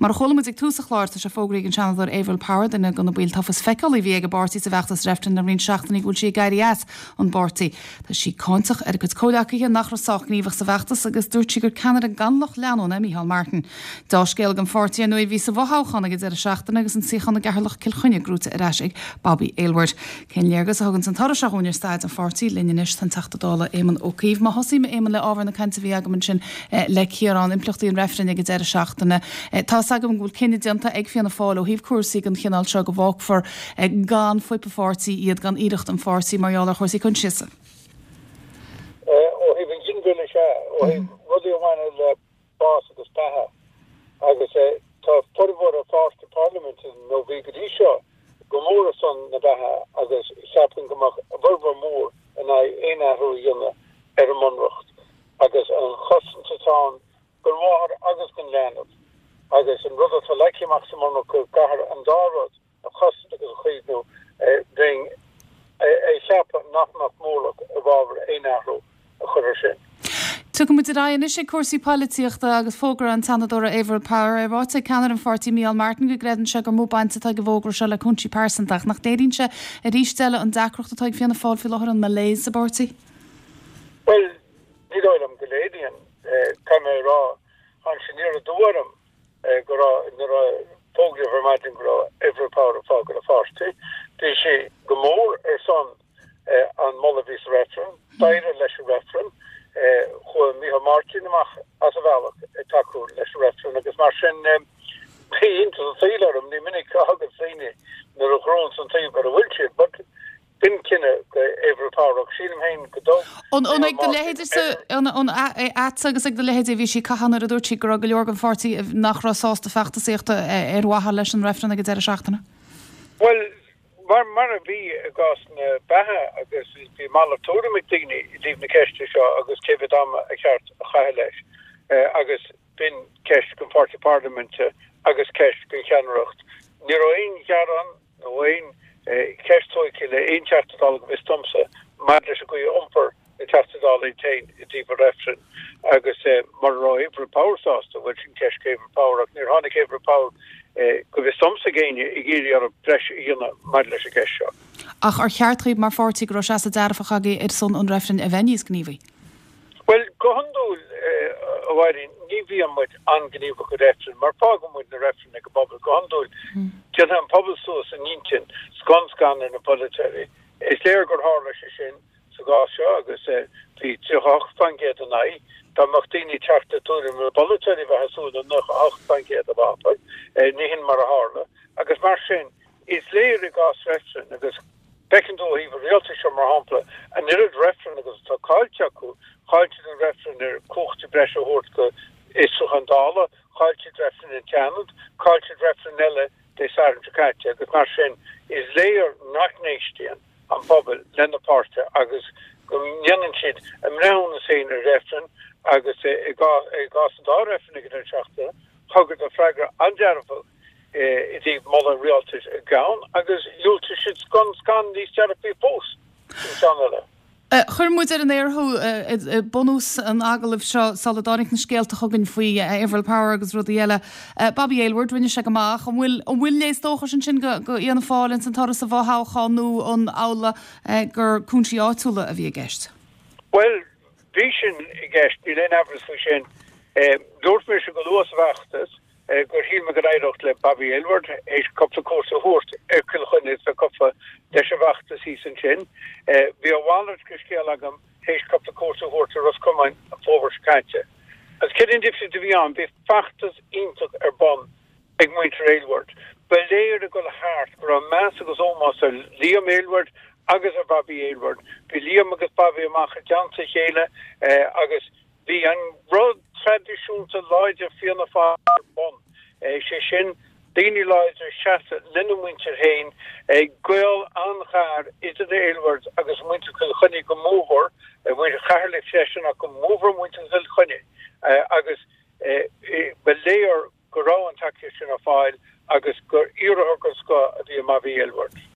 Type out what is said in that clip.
Mar a chuala muid ag tús an chláir, tá sé fógraithe ag an Seanadóir Averil Power, duine de na baill tofa is feiceálaí a bhí ag an bpáirtí sa bhfeachtas reifrinn le roinnt seachtainí go bhfuil sí ag éirí as an bpáirtí. Tá sí cáinteach ar a cuid comhleacaithe nach raibh sách gníomhach sa bhfeachtas agus dúirt sí gur ceannaire gan lucht leanúna é Micheál Martin. Deá-scéal don pháirtí ar ndóigh a bhí sa bhfothoghchán ag an deireadh seachtaine agus an suíochán i gCeatharlach Cill Chainnigh gnóite ar ais ag Bobby Aylward. Cén léargas a thuganns an toradh seo dhúinn ar staid an pháirtí? Linn anois tá an Teachta Dála Éamon Ó Cuív. Má thosaím, a Éamoin, le ábhar na cainte a bhí agam ansin le Ciarán, impleachtaí an reifrinn ag an deireadh seachtaine. Tá 'fhios agam go bhfuil cinneadh déanta ag Fianna Fáil ó thaobh cúrsaí den chineál seo go bhfágfar gan fuip an pháirtí iad, gan iarracht an pháirtí mar gheall ar chúrsaí coinsiasa. Ó thaobh an ghinmhilleadh, sea. Ó thaobh rudaí a bhaineann le bás agus beatha. Agus tá formhór an pháirtí parlaiminte, nó bhí go dtí seo, go mór ar son na beatha agus cheapfainn go mbeadh a bhformhór mór in aghaidh aon athrú a dhéanamh ar an mBunreacht agus an chosaint atá ann don mháthair agus don leanbh agus an rud atá leagtha amach sa mBunreacht go gcaithfear an dá rud a chosaint agus a chaomhnú, bheinn ag ceapadh nach mbeadh mórlach i bhfabhar aon athrú a chur air sin. Tiocfaidh muid ar aghaidh anois ag cúrsaí poilitíochta agus fógra an tSeanadóra Averil Power. É ráite ag ceannaire an pháirtí Micheál Martin go gcreideann sé gur mó baint atá ag an bhfógra seo le cúinsí pearsanta ach nach léiríonn sé arís eile an deacracht atá ag Fianna Fáil faoi láthair, an malaise sa bpáirtí? Bhuel, ní dóigh liom go léiríonn. Caithfidh mé a rá, tháinig sé aniar aduaidh orm go raibh, nuair a fógraíodh ar maidin go raibh Averil Power ag fágáil an pháirtí, bhí sí go mór ar son an moladh a bhí sa reifreann, d'éirigh leis an reifreann, chuaigh Micheál Martin amach as a bhealach ag tacú leis an reifreann agus mar sin bhí iontas an tsaoil orm, ní minic a thagann daoine nuair a ghnóthaíonns an taobh ar a bhfuil siad, but B'in cinneadh do Averil Power ach sílim féin go dtug An ag do leithéidese, an agatsa agus ag do leithéidí a bhí sí ag caitheamh nuair a dúirt sí go raibh go leor den pháirtí nach raibh sásta feachtasaíocht ar mhaithe leis an reifreann ag an deireadh seachtaine? Bhuel, mar a bhí i gcás na beatha agus bhí malairt tuairim ag daoine i dtaobh na ceiste seo agus cé mhéad ama a cheart a chaitheamh leis agus b'in ceist don pháirtí parlaiminte agus ceist don cheannaireacht. Ní raibh aon ghearán nó aon cheist tógtha le aon Teachta Dála go bhfios domsa maidir leis an gcaoi a iompair na Teachtaí Dála iad féin i dtaobh an reifrinn agus mura raibh Averil Power sásta, bhuel sin ceist do Averil Power ach níor tháinig Averil Power go bhfios domsa ag éinne ag iarraidh orthu breis a dhéanamh maidir leis an gceist seo. Ach ar cheart dhaoibh mar pháirtí go raibh seasamh dearfach agaibh ar son an reifrinn a bheith níos gníomhaí? Bhuel, go hiondúil, a Mháirín, ní bhíonn muid an-ghníomhach i reifrinn, mar fágann muid na reifrinn ag an bpobal. Go hiondúil, déanfaidh an pobal suas a n-intinn scun scan ar na polaiteoirí. Is léir gur tharla sé sin sa gcás seo agus bhí 38% in aghaidh. Dá mbeadh daoine ag teacht le tuairim na bpolaiteoirí bheifeá ag súil le 98% a bheith acu. Ní hin mar a tharla. Agus mar sin, Is léir i gcás reifrinn, agus feiceann tú ó thaobh an rialtais seo, mar shampla, an oiread reifreann agus atá caillte acu, chaill siad an reifreann ar cumhachtaí breise a thabhairt go fhiosrúchán Dála, chaill siad reifreann an tSeanad, chaill siad reifreann eile Dé Sathairn seo caite, agus mar sin is léir nach n-éistíonn an pobal lena páirtithe agus go ndéanann siad a mbreithiúnas féin ar reifreann agus i gcás an dá reifreann ag an deireadh seachtaine, thugadar freagra an-dearfach i dtaobh moladh an rialtais i gceann agus dhiúltaigh siad scun scan níos dearfaí fós sa cheann eile. Chuir muid ar an aer thú i bunús an agallaimh seo sula dtáinig na scéalta chugainn faoi Averil Power agus rudaí eile. Bobby Aylward, rinne sé go maith. An bhfuil an bhfuil léas dóchais ansin go go Fhianna Fáil ins an toradh sa bhfothoghchán nó an amhlaidh gur cúinsí áitiúla a bhí i gceist? Bhuel, bhí sin i gceist, níl aon amhras faoi sin. Dúirt mise go luath sa bhfeachtas gur shíl mé go n-éireodh le Bobby Aylward théis cúpla cuairt a thabhairt ar Chill Chainnigh is bheith gafa leis an bhfeachtas thíos ansin. Bhí a mhalairt de scéal agam théis cúpla cuairt a thabhairt ar Ros Comáin an fómhar seo caite. Agus céard é an difríocht a bhí ann? Bhí feachtas iontach ar bun ag muintir Aylward. Ba léir ag dul thart go raibh meas agus ómós ar Liam Aylward agus ar Bobby Aylward. Bhí Liam agus Bobby amach i dteannta a chéile agus Bhí an rud traidisiúnta láidir Fianna Fáil ar bun, sé sin, daoine láidre ag seasamh lena muintir féin, gaol an-ghar idir na Aylwards agus muintir Chill Chainnigh go mórmhór, muintir Cheatharlaigh freisin ach go mórmhór muintir Chill Chainnigh agus ba léir go raibh an tacaíocht sin ar fáil agus gur iarrthóir den scoth a bhí i mBobby Aylward.